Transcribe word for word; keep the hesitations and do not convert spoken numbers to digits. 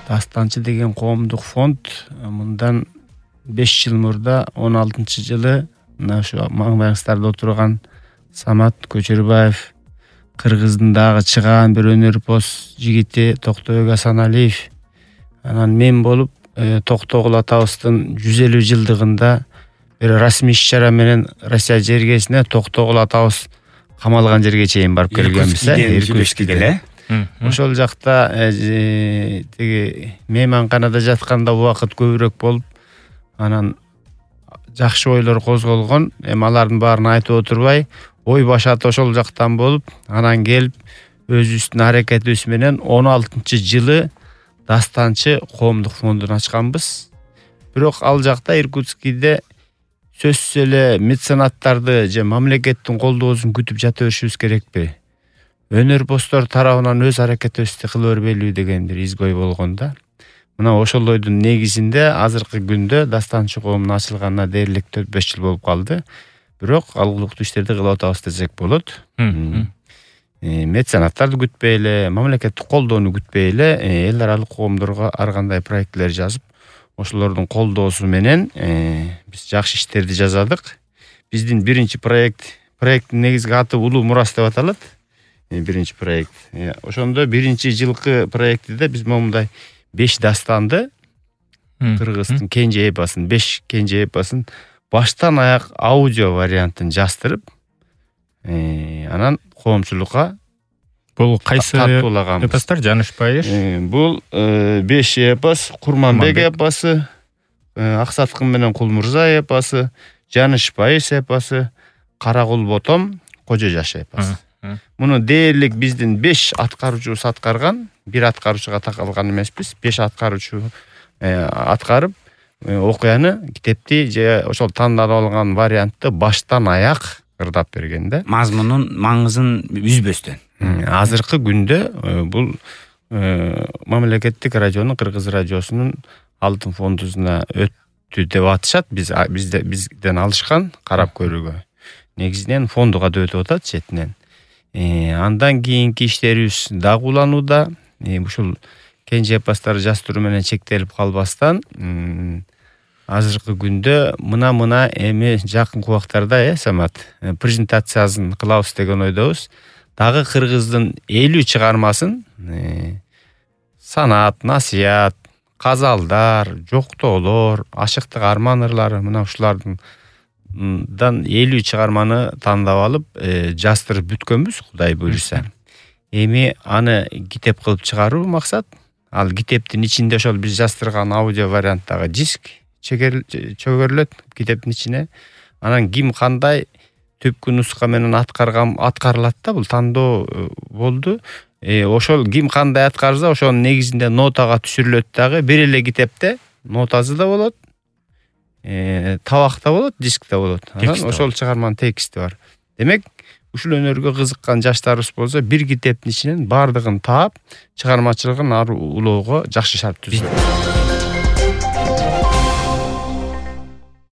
Дастанчы деген коомдук фонд мындан беш жыл мурда он алтынчы жылы мына ушу маңбайыңыздарда отурган Самат Көчөрбаев, Кыргыздын дагы чыгаан бир өнөрпоз жигити Токтобек Асаналиев, анан мен болуп Токтогул атабыздын жүз элүү жылдыгында бир расмий иш-чара менен Россия жергесине Токтогул атабыз камалган жерге чейин барып келгенбиз. Иркутскиде. Ошол жакта тиги мейманканада жатканда убакыт көбүрөөк болуп, анан жакшы ойлор козголгон. Эми алардын баарын айтып отурбай, ой башат ошол жактан болуп, анан келип өзүбүздүн аракетибиз менен он алтынчы жылы Дастанчы коомдук фондун ачканбыз. Бирок ал жакта Иркутскиде сөзсүз эле меценаттарды же мамлекеттин колдоосун күтүп жата беришибиз керекпи? Өнөрпоздор тарабынан өз аракетибизди кыла бербейлиби деген бир изгой болгон да. Мына ошол ойдун негизинде азыркы күндө Дастанчы коомунун ачылганына дээрлик төрт беш жыл болуп калды. Бирок алгылыктуу иштерди кылып атабыз десек болот. Меценаттарды күтпөй эле, мамлекеттик колдоону күтпөй эле эл аралык коомдорго ар кандай проектлер жазып, ошолордун колдоосу менен биз жакшы иштерди жазадык. Биздин биринчи проект, проекттин негизги аты Улуу Мурас деп аталат. Биринчи проект. Ошондо биринчи жылкы проектиде биз момундай беш дастанды, Кыргыздын кенже эпосын, беш кенже эпосын баштан аяк аудио вариантын жаздырып, анан коомчулукка бул кайсы эпостор Жанышпай? Бул беш эпос: Курманбек эпосу, Аксаткын менен Кулмурза эпосу, Жанышпай эпосу, Каракул Ботом, Кожо Жаш эпосу. Муну дээрлик биздин беш аткаруучубуз аткарган, бир аткаруучуга такалган эмеспиз. беш аткаруучу аткарып, окуяны, китепти же ошол тандап алган вариантты баштан аяк ырдап берген да. Мазмунун маңызын үзбөстөн. Азыркы күндө бул мамлекеттик радионун, Кыргыз радиосунун алтын фондусуна өттү деп атышат. Биз бизден алышкан карап көрүүгө. Негизинен фондуга да өтүп атат четинен. Андан кийинки иштерибиз дагы уланууда. Ушул кенже эпостор жаздыруу менен чектелип калбастан, азыркы күндө мына-мына эми жакынкы убактарда, э, Самат, презентациясын кылабыз деген ойдобуз. Дагы Кыргыздын элүү чыгармасын, санат, насыят, казалдар, жоктоолор, ашыктык арман ырлары, мына ушулардын дан элүү чыгарманы тандап алып, жаздырып бүткөнбүз, Кудай буйруса. Эми аны китеп кылып чыгаруу максат. Ал китептин ичинде ошол биз жаздырган аудио варианттагы диск чөгөрүлөт китептин ичине. Анан ким кандай түпкү нуска менен аткарган аткарылат да, бул тандоо болду. Ошол ким кандай аткарса, ошонун негизинде нотага түшүрүлөт дагы. Бир эле китепте нотасы да болот, табак да болот, диск да болот. Анан ошол чыгарманын тексти бар. Демек, ушул өнөргө кызыккан жаштарыбыз болсо, бир китептин ичинен бардыгын таап, чыгармачылыгын ары улоого жакшы шарт түзөт.